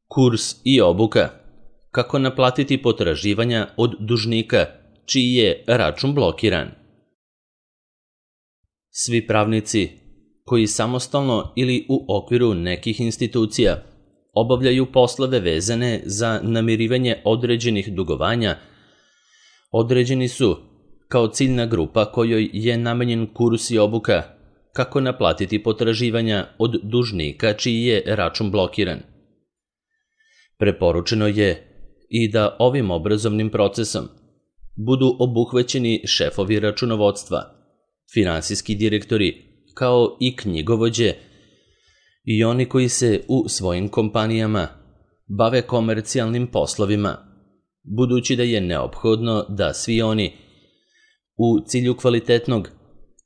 Kurs i obuka. Kako naplatiti potraživanja od dužnika čiji je račun blokiran. Svi pravnici koji samostalno ili u okviru nekih institucija obavljaju poslove vezane za namirivanje određenih dugovanja, određeni su kao ciljna grupa kojoj je namenjen kurs i obuka kako naplatiti potraživanja od dužnika čiji je račun blokiran. Preporučeno je i da ovim obrazovnim procesom budu obuhvaćeni šefovi računovodstva, finansijski direktori, kao i knjigovođe i oni koji se u svojim kompanijama bave komercijalnim poslovima, budući da je neophodno da svi oni u cilju kvalitetnog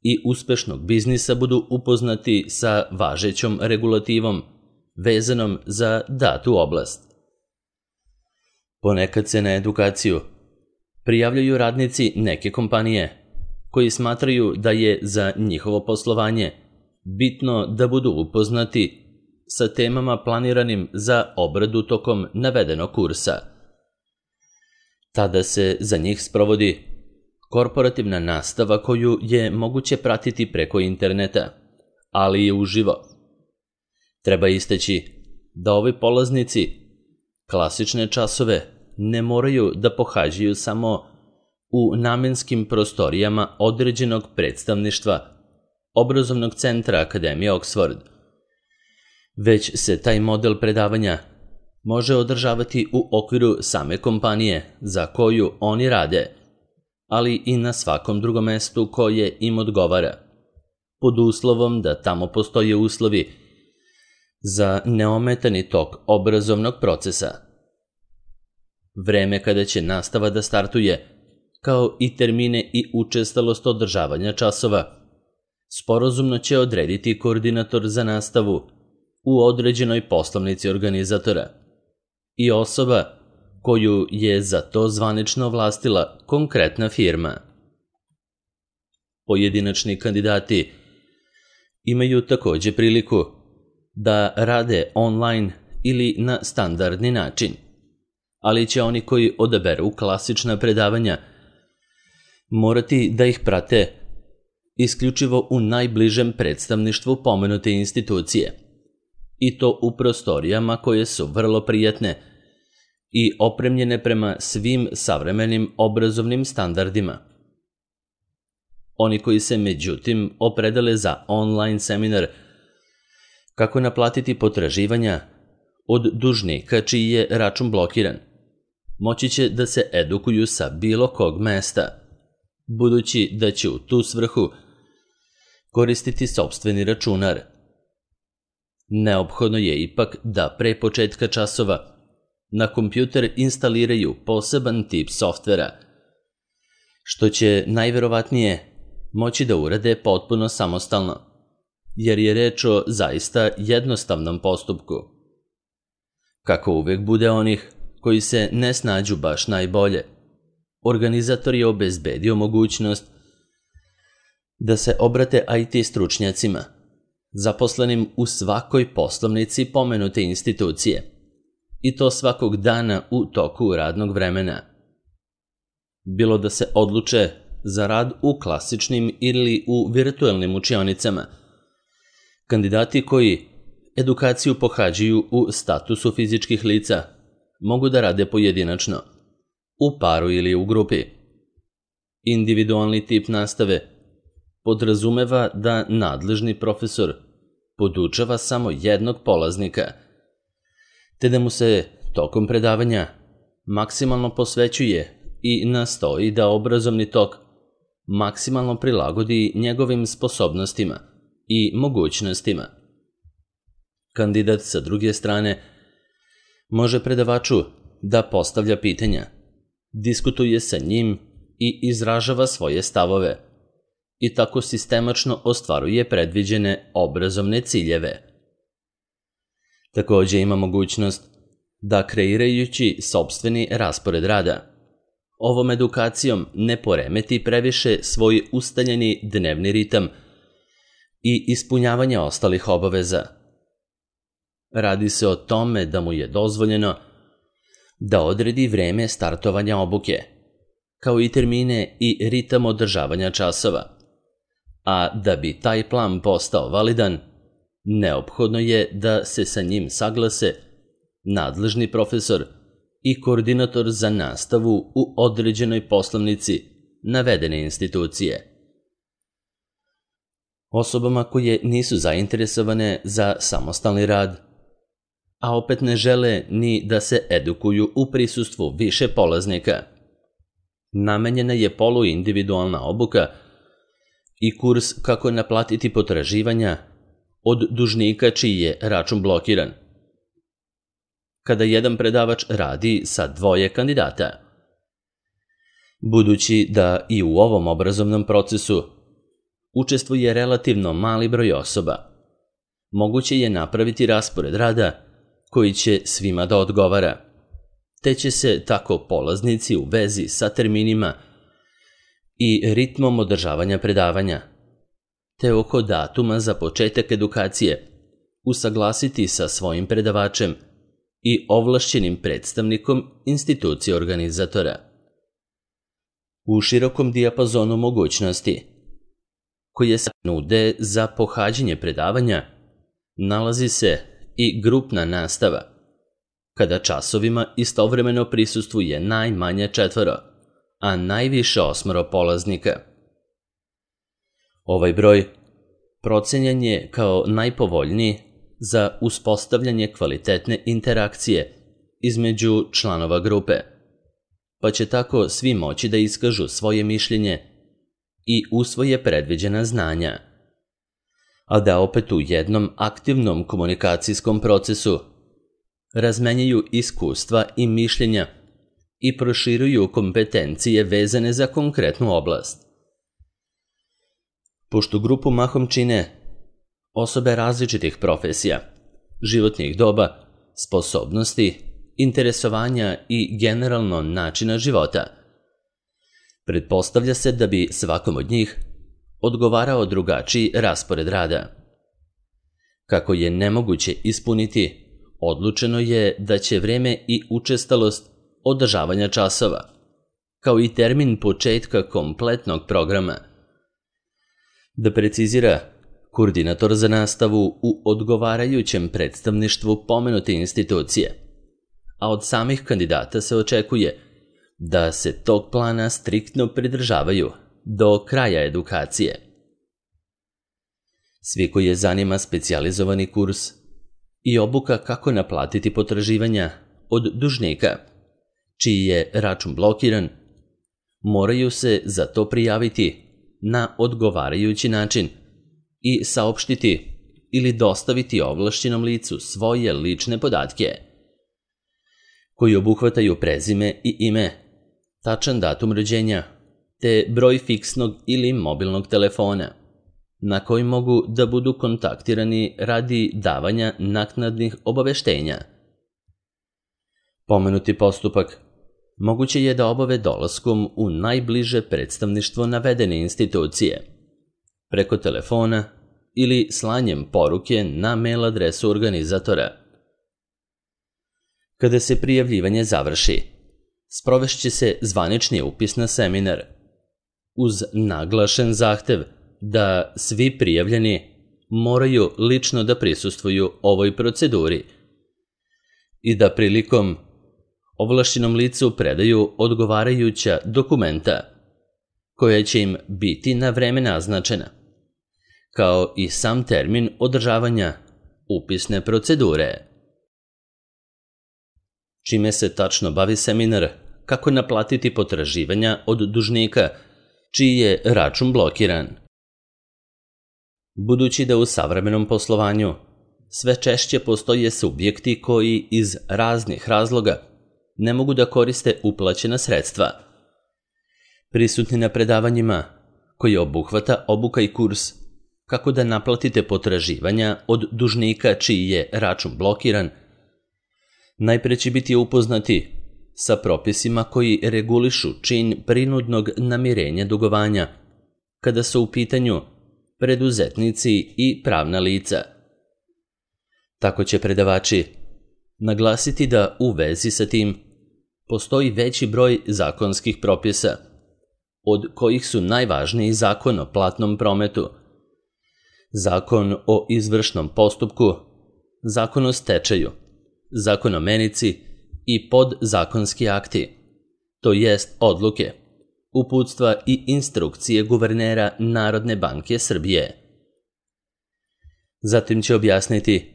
i uspešnog biznisa budu upoznati sa važećom regulativom vezanom za datu oblast. Ponekad se na edukaciju prijavljaju radnici neke kompanije koji smatraju da je za njihovo poslovanje bitno da budu upoznati sa temama planiranim za obradu tokom navedenog kursa. Tada se za njih sprovodi korporativna nastava koju je moguće pratiti preko interneta, ali i uživo. Treba istaći da ovi polaznici klasične časove ne moraju da pohađaju samo u namenskim prostorijama određenog predstavništva obrazovnog centra Akademije Oxford, već se taj model predavanja može održavati u okviru same kompanije za koju oni rade, ali i na svakom drugom mestu koje im odgovara, pod uslovom da tamo postoje uslovi za neometani tok obrazovnog procesa. Vreme kada će nastava da startuje, kao i termine i učestalost održavanja časova, sporazumno će odrediti koordinator za nastavu u određenoj poslovnici organizatora i osoba koju je za to zvanično ovlastila konkretna firma. Pojedinačni kandidati imaju takođe priliku da rade online ili na standardni način, ali će oni koji odaberu klasična predavanja morati da ih prate isključivo u najbližem predstavništvu pomenute institucije, i to u prostorijama koje su vrlo prijatne i opremljene prema svim savremenim obrazovnim standardima. Oni koji se međutim opredele za online seminar kako naplatiti potraživanja od dužnika čiji je račun blokiran, moći će da se edukuju sa bilo kog mesta, budući da će u tu svrhu koristiti sopstveni računar. Neophodno je ipak da pre početka časova na kompjuter instaliraju poseban tip softvera, što će najverovatnije moći da urade potpuno samostalno, jer je reč o zaista jednostavnom postupku. Kako uvek bude onih koji se ne snađu baš najbolje, organizator je obezbedio mogućnost da se obrate IT stručnjacima, zaposlenim u svakoj poslovnici pomenute institucije, i to svakog dana u toku radnog vremena. Bilo da se odluče za rad u klasičnim ili u virtuelnim učionicama, kandidati koji edukaciju pohađaju u statusu fizičkih lica mogu da rade pojedinačno, u paru ili u grupi. Individualni tip nastave podrazumeva da nadležni profesor podučava samo jednog polaznika, te da mu se tokom predavanja maksimalno posvećuje i nastoji da obrazovni tok maksimalno prilagodi njegovim sposobnostima i mogućnostima. Kandidat sa druge strane može predavaču da postavlja pitanja, diskutuje sa njim i izražava svoje stavove, i tako sistemačno ostvaruje predviđene obrazovne ciljeve. Takođe ima mogućnost da kreirajući sopstveni raspored rada, ovom edukacijom ne poremeti previše svoj ustaljeni dnevni ritam i ispunjavanje ostalih obaveza. Radi se o tome da mu je dozvoljeno da odredi vreme startovanja obuke, kao i termine i ritam održavanja časova. A da bi taj plan postao validan, neophodno je da se sa njim saglase nadležni profesor i koordinator za nastavu u određenoj poslovnici navedene institucije. Osobama koje nisu zainteresovane za samostalni rad, a opet ne žele ni da se edukuju u prisustvu više polaznika, namenjena je poluindividualna obuka i kurs kako naplatiti potraživanja od dužnika čiji je račun blokiran. Kada jedan predavač radi sa 2 kandidata. Budući da i u ovom obrazovnom procesu učestvuje relativno mali broj osoba, moguće je napraviti raspored rada koji će svima da odgovara, te će se tako polaznici u vezi sa terminima i ritmom održavanja predavanja, te oko datuma za početak edukacije usaglasiti sa svojim predavačem i ovlašćenim predstavnikom institucije organizatora. U širokom dijapazonu mogućnosti koje se nude za pohađanje predavanja nalazi se i grupna nastava, kada časovima istovremeno prisustvuje najmanje 4, a najviše 8 polaznika. Ovaj broj procenjen je kao najpovoljniji za uspostavljanje kvalitetne interakcije između članova grupe, pa će tako svi moći da iskažu svoje mišljenje i usvoje predviđena znanja, a da opet u jednom aktivnom komunikacijskom procesu razmenjuju iskustva i mišljenja i proširuju kompetencije vezane za konkretnu oblast. Pošto grupu mahom čine osobe različitih profesija, životnih doba, sposobnosti, interesovanja i generalno načina života, pretpostavlja se da bi svakom od njih odgovarao drugačiji raspored rada. Kako je nemoguće ispuniti, odlučeno je da će vreme i učestalost održavanja časova, kao i termin početka kompletnog programa, da precizira koordinator za nastavu u odgovarajućem predstavništvu pomenute institucije, a od samih kandidata se očekuje da se tog plana striktno pridržavaju do kraja edukacije. Svi koji je zanima specijalizovani kurs i obuka kako naplatiti potraživanja od dužnika, čiji je račun blokiran, moraju se za to prijaviti na odgovarajući način i saopštiti ili dostaviti ovlašćenom licu svoje lične podatke, koji obuhvataju prezime i ime, tačan datum rođenja, te broj fiksnog ili mobilnog telefona, na koji mogu da budu kontaktirani radi davanja naknadnih obaveštenja. Pomenuti postupak moguće je da obave dolaskom u najbliže predstavništvo navedene institucije, preko telefona ili slanjem poruke na mail adresu organizatora. Kada se prijavljivanje završi, sprovešće se zvanični upis na seminar, uz naglašen zahtev da svi prijavljeni moraju lično da prisustvuju ovoj proceduri i da prilikom ovlašćenom licu predaju odgovarajuća dokumenta koja će im biti na vreme naznačena, kao i sam termin održavanja upisne procedure. Čime se tačno bavi seminar kako naplatiti potraživanja od dužnika čiji je račun blokiran. Budući da u savremenom poslovanju sve češće postoje subjekti koji iz raznih razloga ne mogu da koriste uplaćena sredstva, prisutni na predavanjima koji obuhvata obuka i kurs kako da naplatite potraživanja od dužnika čiji je račun blokiran, najpre će biti upoznati sa propisima koji regulišu čin prinudnog namirenja dugovanja, kada su u pitanju preduzetnici i pravna lica. Tako će predavači naglasiti da u vezi sa tim postoji veći broj zakonskih propisa, od kojih su najvažniji Zakon o platnom prometu, Zakon o izvršnom postupku, Zakon o stečaju, Zakon o menici i podzakonski akti, to jest odluke, uputstva i instrukcije guvernera Narodne banke Srbije. Zatim će objasniti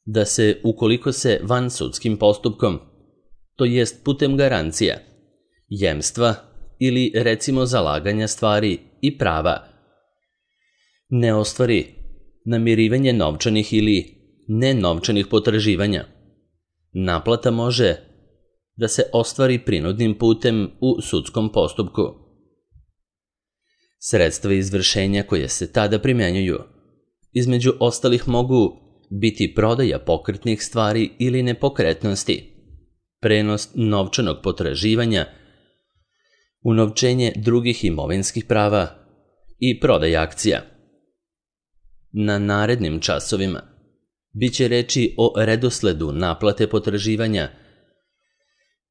da se, ukoliko se vansudskim postupkom, to jest putem garancija, jemstva ili recimo zalaganja stvari i prava, ne ostvari namirivanje novčanih ili nenovčanih potraživanja, naplata može da se ostvari prinudnim putem u sudskom postupku. Sredstva izvršenja koje se tada primjenjuju, između ostalih mogu biti prodaja pokretnih stvari ili nepokretnosti, prenos novčanog potraživanja, unovčenje drugih imovinskih prava i prodaja akcija. Na narednim časovima biće reči o redosledu naplate potraživanja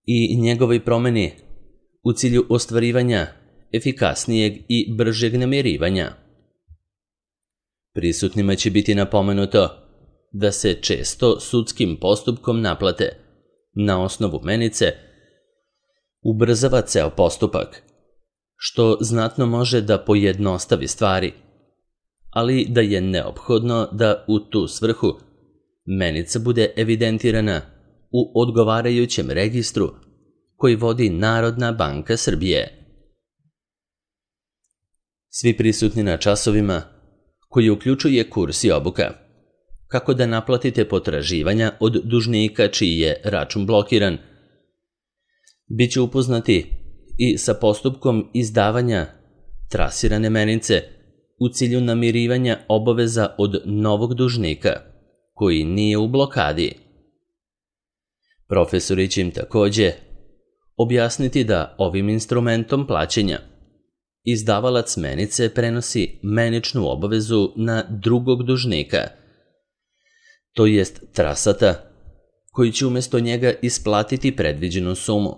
i njegovoj promeni u cilju ostvarivanja efikasnijeg i bržeg namirivanja. Prisutnima će biti napomenuto da se često sudskim postupkom naplate na osnovu menice ubrzava ceo postupak, što znatno može da pojednostavi stvari, ali da je neophodno da u tu svrhu menica bude evidentirana u odgovarajućem registru koji vodi Narodna banka Srbije. Svi prisutni na časovima, koji uključuje kurs i obuka, kako da naplatite potraživanja od dužnika čiji je račun blokiran, bit će upoznati i sa postupkom izdavanja trasirane menice u cilju namirivanja obaveza od novog dužnika koji nije u blokadi. Profesori će im takođe objasniti da ovim instrumentom plaćanja izdavalac menice prenosi meničnu obavezu na drugog dužnika, to jest trasata, koji će umjesto njega isplatiti predviđenu sumu.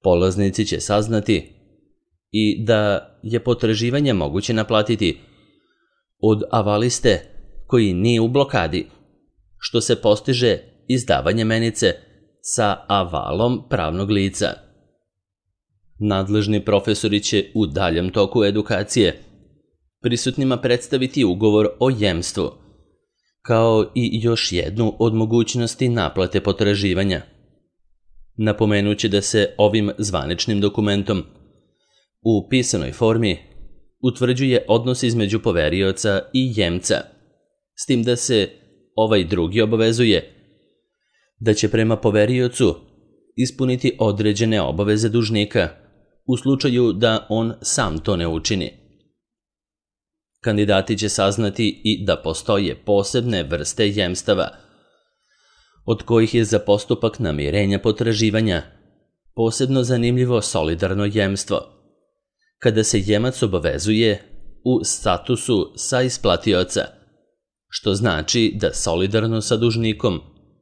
Polaznici će saznati i da je potraživanje moguće naplatiti od avaliste koji nije u blokadi, što se postiže izdavanje menice sa avalom pravnog lica. Nadležni profesori će u daljem toku edukacije prisutnima predstaviti ugovor o jemstvu, kao i još jednu od mogućnosti naplate potraživanja. Napomenuće da se ovim zvaničnim dokumentom u pisanoj formi utvrđuje odnos između poverioca i jemca, s tim da se ovaj drugi obavezuje da će prema poveriocu ispuniti određene obaveze dužnika u slučaju da on sam to ne učini. Kandidati će saznati i da postoje posebne vrste jemstava, od kojih je za postupak namirenja potraživanja posebno zanimljivo solidarno jemstvo, kada se jemac obavezuje u statusu saisplatioca, što znači da solidarno sa dužnikom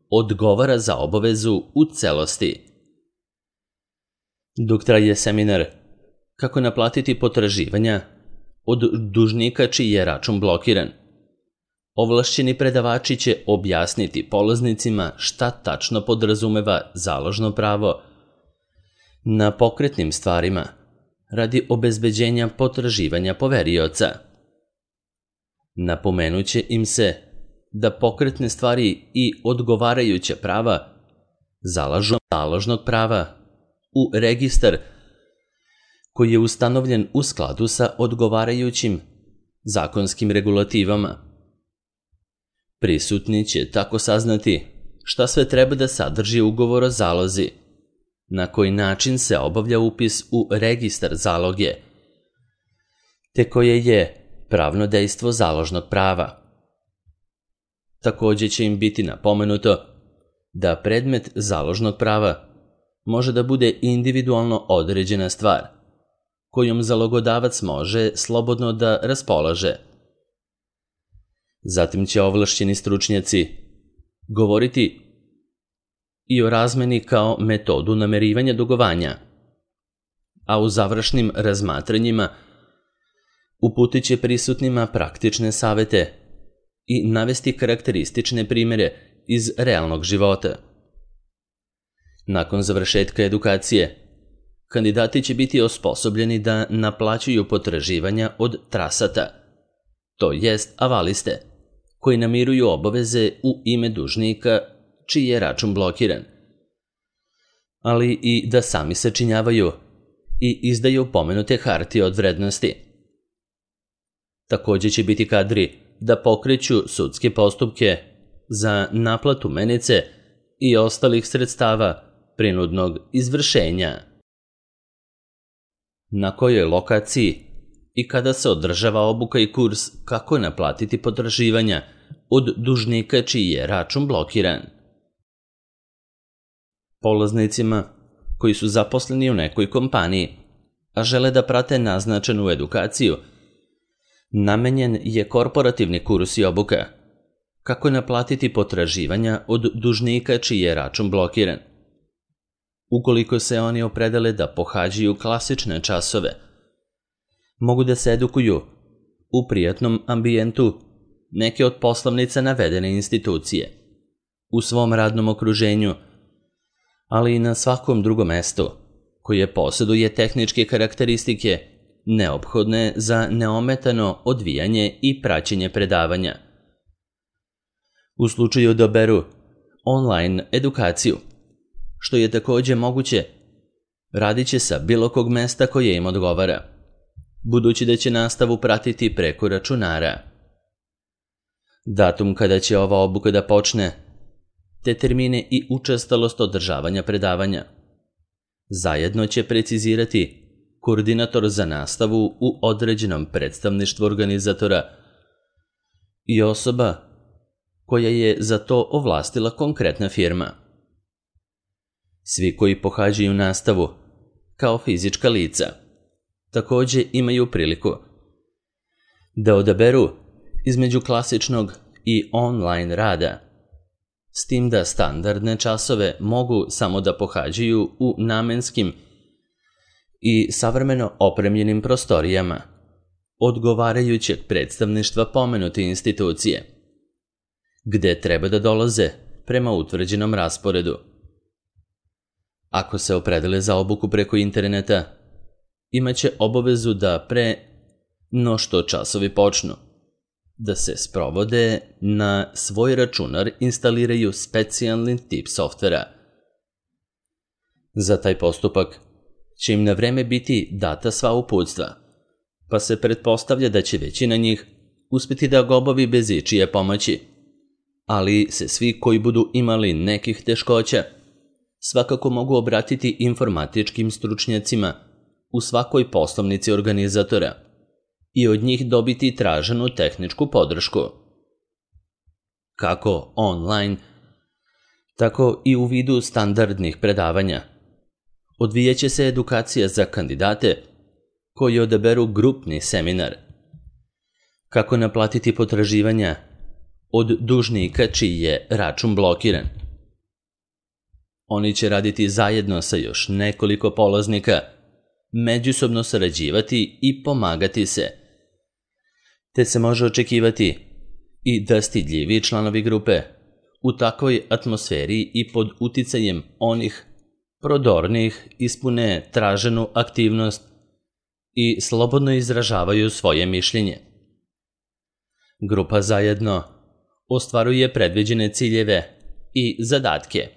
odgovara za obavezu u celosti. Dok traje seminar kako naplatiti potraživanja od dužnika čiji je račun blokiran, ovlašćeni predavači će objasniti polaznicima šta tačno podrazumeva založno pravo na pokretnim stvarima radi obezbeđenja potraživanja poverioca. Napomenuće im se da pokretne stvari i odgovarajuća prava zalažu založnog prava u registar koji je ustanovljen u skladu sa odgovarajućim zakonskim regulativama. Prisutni će tako saznati šta sve treba da sadrži ugovor o zalozi, na koji način se obavlja upis u registar zaloge, te koje je pravno dejstvo založnog prava. Takođe će im biti napomenuto da predmet založnog prava može da bude individualno određena stvar, kojom zalogodavac može slobodno da raspolaže. Zatim će ovlašćeni stručnjaci govoriti i o razmeni kao metodu namerivanja dugovanja, a u završnim razmatranjima uputit će prisutnima praktične savete i navesti karakteristične primjere iz realnog života. Nakon završetka edukacije, kandidati će biti osposobljeni da naplaćuju potraživanja od trasata, to jest avaliste, koji namiruju obaveze u ime dužnika čiji je račun blokiran, ali i da sami sačinjavaju i izdaju pomenute hartije od vrednosti. Također će biti kadri da pokreću sudske postupke za naplatu menice i ostalih sredstava prinudnog izvršenja. Na kojoj lokaciji i kada se održava obuka i kurs kako naplatiti potraživanja od dužnika čiji je račun blokiran? Polaznicima koji su zaposleni u nekoj kompaniji, a žele da prate naznačenu edukaciju, namenjen je korporativni kurs i obuka kako naplatiti potraživanja od dužnika čiji je račun blokiran. Ukoliko se oni opredele da pohađaju klasične časove, mogu da se edukuju u prijatnom ambijentu neke od poslovnica navedene institucije, u svom radnom okruženju, ali i na svakom drugom mestu koje posjeduje tehničke karakteristike neophodne za neometano odvijanje i praćenje predavanja. U slučaju da odaberu online edukaciju, što je također moguće, radit će sa bilo kog mesta koje im odgovara, budući da će nastavu pratiti preko računara. Datum kada će ova obuka da počne, te termine i učestalost održavanja predavanja zajedno će precizirati koordinator za nastavu u određenom predstavništvu organizatora i osoba koja je za to ovlastila konkretna firma. Svi koji pohađaju nastavu kao fizička lica također imaju priliku da odaberu između klasičnog i online rada, s tim da standardne časove mogu samo da pohađaju u namenskim i savremeno opremljenim prostorijama odgovarajućeg predstavništva pomenute institucije, gde treba da dolaze prema utvrđenom rasporedu. Ako se opredele za obuku preko interneta, imaće obavezu da pre no što časovi počnu, da se sprovode na svoj računar instaliraju specijalni tip softvera. Za taj postupak će im na vreme biti data sva uputstva, pa se pretpostavlja da će većina njih uspjeti da ga obavi bez ičije pomoći, ali se svi koji budu imali nekih teškoća svakako mogu obratiti informatičkim stručnjacima u svakoj poslovnici organizatora i od njih dobiti traženu tehničku podršku. Kako online, tako i u vidu standardnih predavanja. Odvijaće se edukacija za kandidate koji odaberu grupni seminar. Kako naplatiti potraživanja od dužnika čiji je račun blokiran. Oni će raditi zajedno sa još nekoliko polaznika, međusobno sarađivati i pomagati se, te se može očekivati i da stidljivi članovi grupe u takvoj atmosferi i pod uticajem onih prodornih ispune traženu aktivnost i slobodno izražavaju svoje mišljenje. Grupa zajedno ostvaruje predviđene ciljeve i zadatke,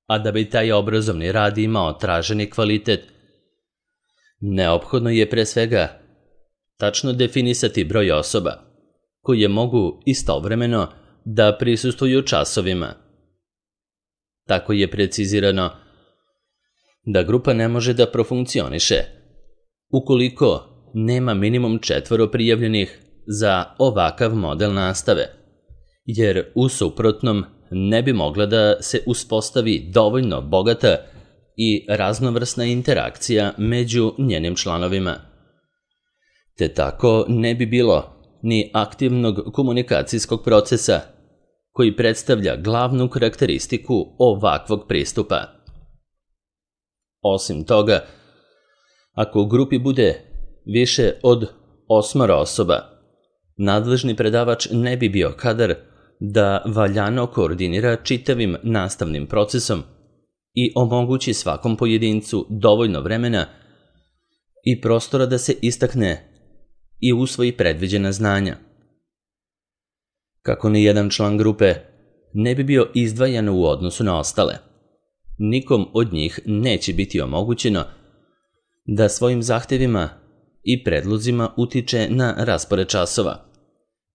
a da bi taj obrazovni rad imao traženi kvalitet, neophodno je pre svega tačno definisati broj osoba koje mogu istovremeno da prisustvuju časovima. Tako je precizirano da grupa ne može da profunkcioniše ukoliko nema minimum 4 prijavljenih za ovakav model nastave, jer u suprotnom ne bi mogla da se uspostavi dovoljno bogata i raznovrsna interakcija među njenim članovima. Te tako ne bi bilo ni aktivnog komunikacijskog procesa, koji predstavlja glavnu karakteristiku ovakvog pristupa. Osim toga, ako u grupi bude više od 8 osoba, nadležni predavač ne bi bio kadar da valjano koordinira čitavim nastavnim procesom i omogući svakom pojedincu dovoljno vremena i prostora da se istakne i usvoji predviđena znanja. Kako ni jedan član grupe ne bi bio izdvajan u odnosu na ostale, nikom od njih neće biti omogućeno da svojim zahtevima i predlozima utiče na raspored časova,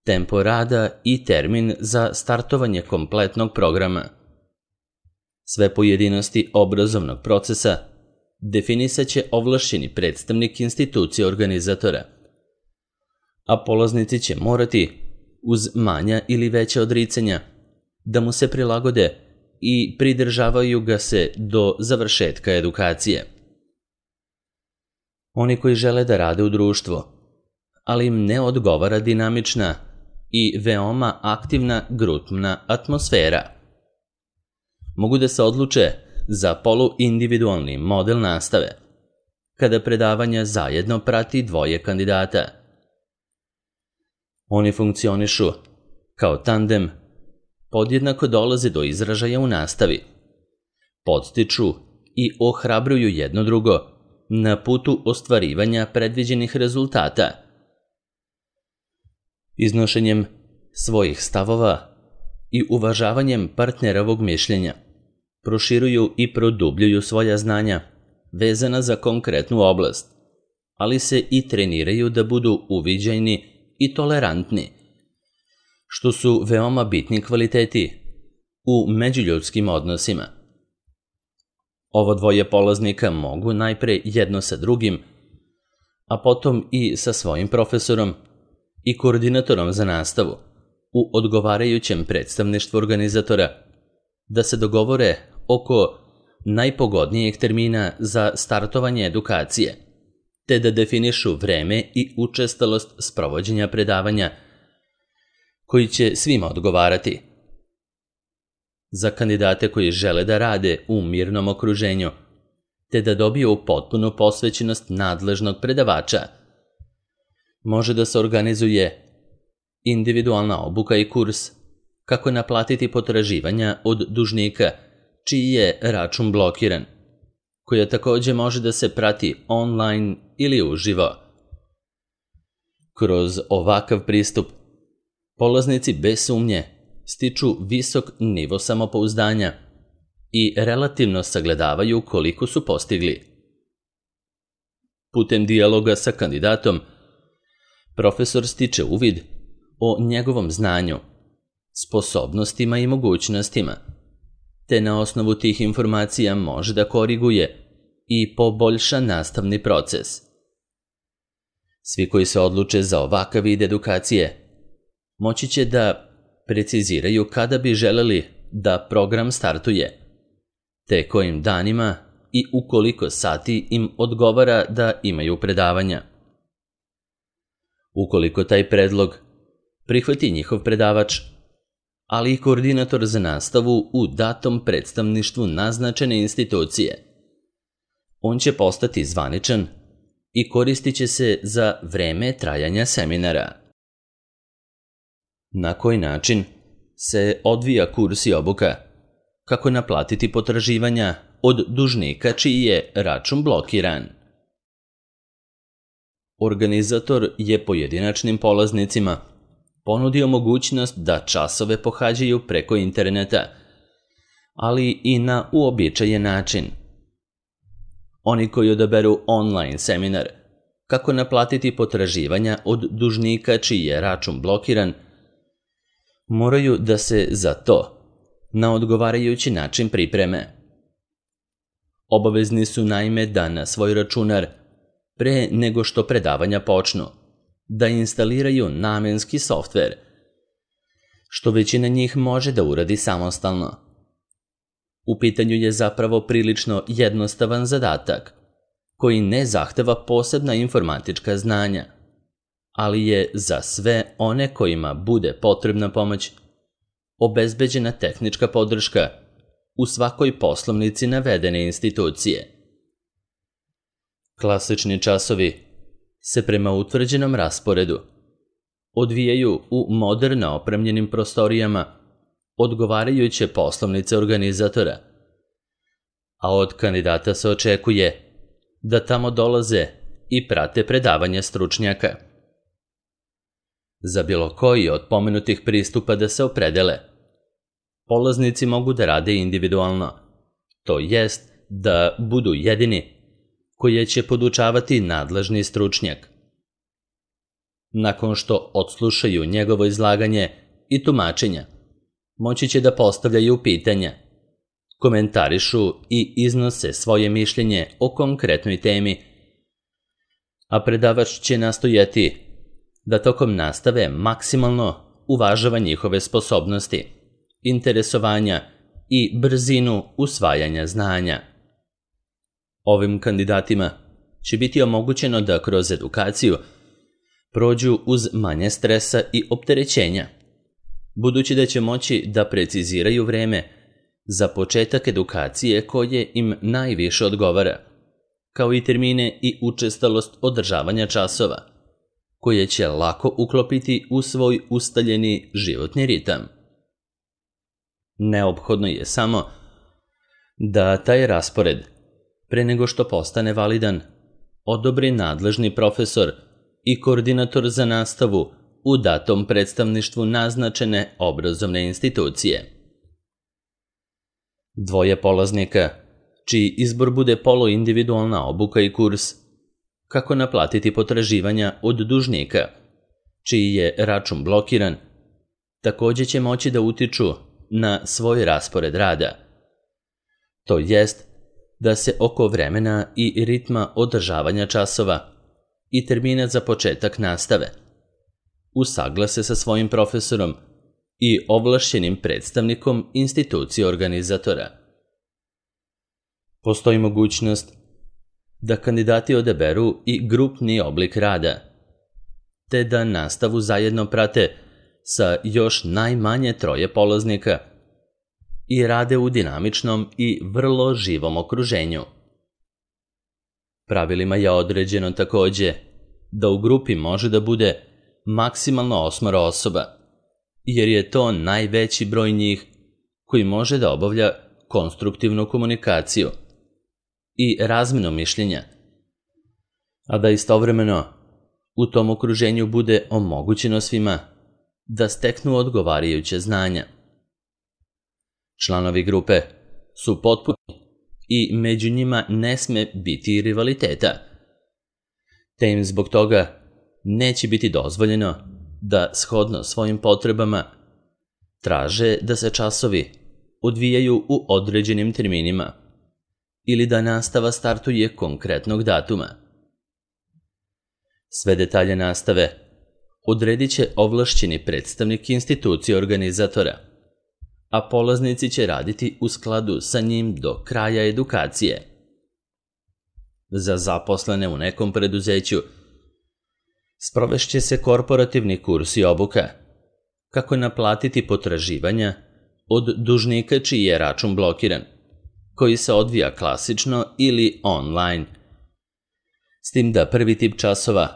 tempo rada i termin za startovanje kompletnog programa. Sve pojedinosti obrazovnog procesa definisaće ovlašćeni predstavnik institucije organizatora, a polaznici će morati, uz manja ili veća odricanja, da mu se prilagode i pridržavaju ga se do završetka edukacije. Oni koji žele da rade u društvu, ali im ne odgovara dinamična i veoma aktivna grupna atmosfera, mogu da se odluče za poluindividualni model nastave, kada predavanja zajedno prati 2 kandidata. Oni funkcionišu kao tandem, podjednako dolaze do izražaja u nastavi, podstiču i ohrabruju jedno drugo na putu ostvarivanja predviđenih rezultata. Iznošenjem svojih stavova i uvažavanjem partnerovog mišljenja proširuju i produbljuju svoja znanja vezana za konkretnu oblast, ali se i treniraju da budu uviđajni i tolerantni, što su veoma bitni kvaliteti u međuljudskim odnosima. Ovo 2 polaznika mogu najpre jedno sa drugim, a potom i sa svojim profesorom i koordinatorom za nastavu u odgovarajućem predstavništvu organizatora da se dogovore oko najpogodnijeg termina za startovanje edukacije, te da definišu vreme i učestalost sprovođenja predavanja koji će svima odgovarati. Za kandidate koji žele da rade u mirnom okruženju, te da dobiju potpunu posvećenost nadležnog predavača, može da se organizuje individualna obuka i kurs kako naplatiti potraživanja od dužnika čiji je račun blokiran, koja takođe može da se prati online ili uživo. Kroz ovakav pristup, polaznici bez sumnje stiču visok nivo samopouzdanja i relativno sagledavaju koliko su postigli. Putem dijaloga sa kandidatom, profesor stiče uvid o njegovom znanju, sposobnostima i mogućnostima, te na osnovu tih informacija može da koriguje i poboljša nastavni proces. Svi koji se odluče za ovakav vid edukacije moći će da preciziraju kada bi želeli da program startuje, te kojim danima i u koliko sati im odgovara da imaju predavanja. Ukoliko taj predlog prihvati njihov predavač, ali i koordinator za nastavu u datom predstavništvu naznačene institucije, on će postati zvaničan i koristit će se za vreme trajanja seminara. Na koji način se odvija kurs i obuka? Kako naplatiti potraživanja od dužnika čiji je račun blokiran? Organizator je pojedinačnim polaznicima ponudio mogućnost da časove pohađaju preko interneta, ali i na uobičajen način. Oni koji odaberu online seminar kako naplatiti potraživanja od dužnika čiji je račun blokiran, moraju da se za to na odgovarajući način pripreme. Obavezni su naime da na svoj računar, pre nego što predavanja počnu, da instaliraju namenski softver, što većina njih može da uradi samostalno. U pitanju je zapravo prilično jednostavan zadatak, koji ne zahteva posebna informatička znanja, ali je za sve one kojima bude potrebna pomoć obezbeđena tehnička podrška u svakoj poslovnici navedene institucije. Klasični časovi se prema utvrđenom rasporedu odvijaju u moderno opremljenim prostorijama odgovarajuće poslovnice organizatora, a od kandidata se očekuje da tamo dolaze i prate predavanja stručnjaka. Za bilo koji od pomenutih pristupa da se opredele, polaznici mogu da rade individualno, to jest da budu jedini koje će podučavati nadležni stručnjak. Nakon što odslušaju njegovo izlaganje i tumačenja, moći će da postavljaju pitanja, komentarišu i iznose svoje mišljenje o konkretnoj temi, a predavač će nastojati da tokom nastave maksimalno uvažava njihove sposobnosti, interesovanja i brzinu usvajanja znanja. Ovim kandidatima će biti omogućeno da kroz edukaciju prođu uz manje stresa i opterećenja, budući da će moći da preciziraju vreme za početak edukacije koje im najviše odgovara, kao i termine i učestalost održavanja časova, koje će lako uklopiti u svoj ustaljeni životni ritam. Neophodno je samo da taj raspored, pre nego što postane validan, odobri nadležni profesor i koordinator za nastavu u datom predstavništvu naznačene obrazovne institucije. Dvoje polaznika, čiji izbor bude poluindividualna obuka i kurs, kako naplatiti potraživanja od dužnika, čiji je račun blokiran, takođe će moći da utiču na svoj raspored rada. To jest da se oko vremena i ritma održavanja časova i termina za početak nastave usaglase sa svojim profesorom i ovlašćenim predstavnikom institucije organizatora. Postoji mogućnost da kandidati odaberu i grupni oblik rada, te da nastavu zajedno prate sa još najmanje 3 polaznika i rade u dinamičnom i vrlo živom okruženju. Pravilima je određeno takođe da u grupi može da bude maksimalno 8 osoba, jer je to najveći broj njih koji može da obavlja konstruktivnu komunikaciju i razmenu mišljenja, a da istovremeno u tom okruženju bude omogućeno svima da steknu odgovarajuće znanja. Članovi grupe su potpuni i među njima ne sme biti rivaliteta, te im zbog toga neće biti dozvoljeno da shodno svojim potrebama traže da se časovi odvijaju u određenim terminima ili da nastava startuje konkretnog datuma. Sve detalje nastave odredit će ovlašćeni predstavnik institucije organizatora, a polaznici će raditi u skladu sa njim do kraja edukacije. Za zaposlene u nekom preduzeću sprovešće se korporativni kurs i obuka, kako naplatiti potraživanja od dužnika čiji je račun blokiran, koji se odvija klasično ili online. S tim da prvi tip časova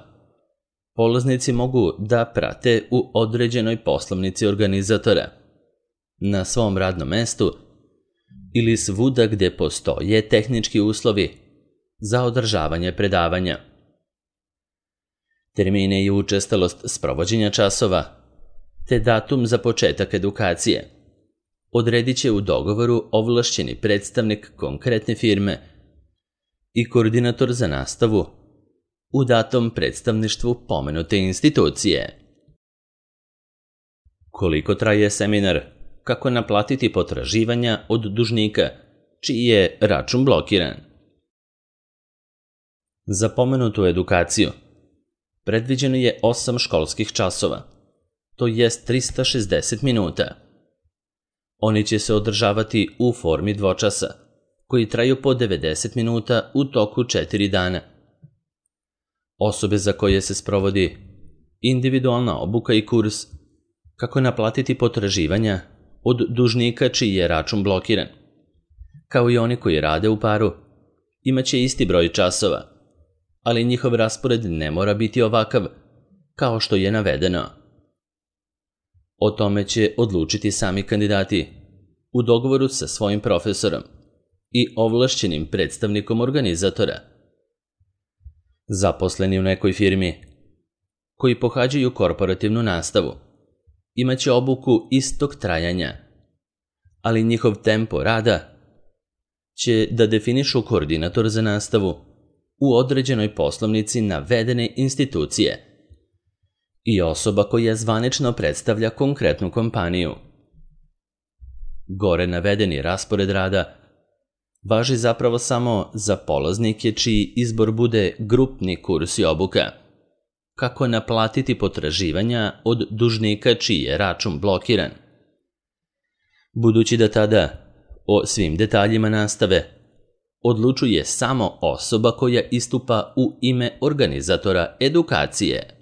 polaznici mogu da prate u određenoj poslovnici organizatora, na svom radnom mestu ili svuda gde postoje tehnički uslovi za održavanje predavanja. Termine i učestalost sprovođenja časova te datum za početak edukacije odredit će u dogovoru ovlašćeni predstavnik konkretne firme i koordinator za nastavu u datom predstavništvu pomenute institucije. Koliko traje seminar kako naplatiti potraživanja od dužnika čiji je račun blokiran? Za pomenutu edukaciju predviđeno je 8 školskih časova, to jest 360 minuta. Oni će se održavati u formi dvočasa, koji traju po 90 minuta u toku 4 dana. Osobe za koje se sprovodi individualna obuka i kurs kako naplatiti potraživanja od dužnika čiji je račun blokiran. Kao i oni koji rade u paru, imaće isti broj časova, ali njihov raspored ne mora biti ovakav, kao što je navedeno. O tome će odlučiti sami kandidati u dogovoru sa svojim profesorom i ovlašćenim predstavnikom organizatora. Zaposleni u nekoj firmi koji pohađaju korporativnu nastavu imaće obuku istog trajanja, ali njihov tempo rada će da definišu koordinator za nastavu u određenoj poslovnici navedene institucije i osoba koja zvanično predstavlja konkretnu kompaniju. Gore navedeni raspored rada važi zapravo samo za polaznike čiji izbor bude grupni kurs i obuka, kako naplatiti potraživanja od dužnika čiji je račun blokiran. Budući da tada o svim detaljima nastave odlučuje samo osoba koja istupa u ime organizatora edukacije.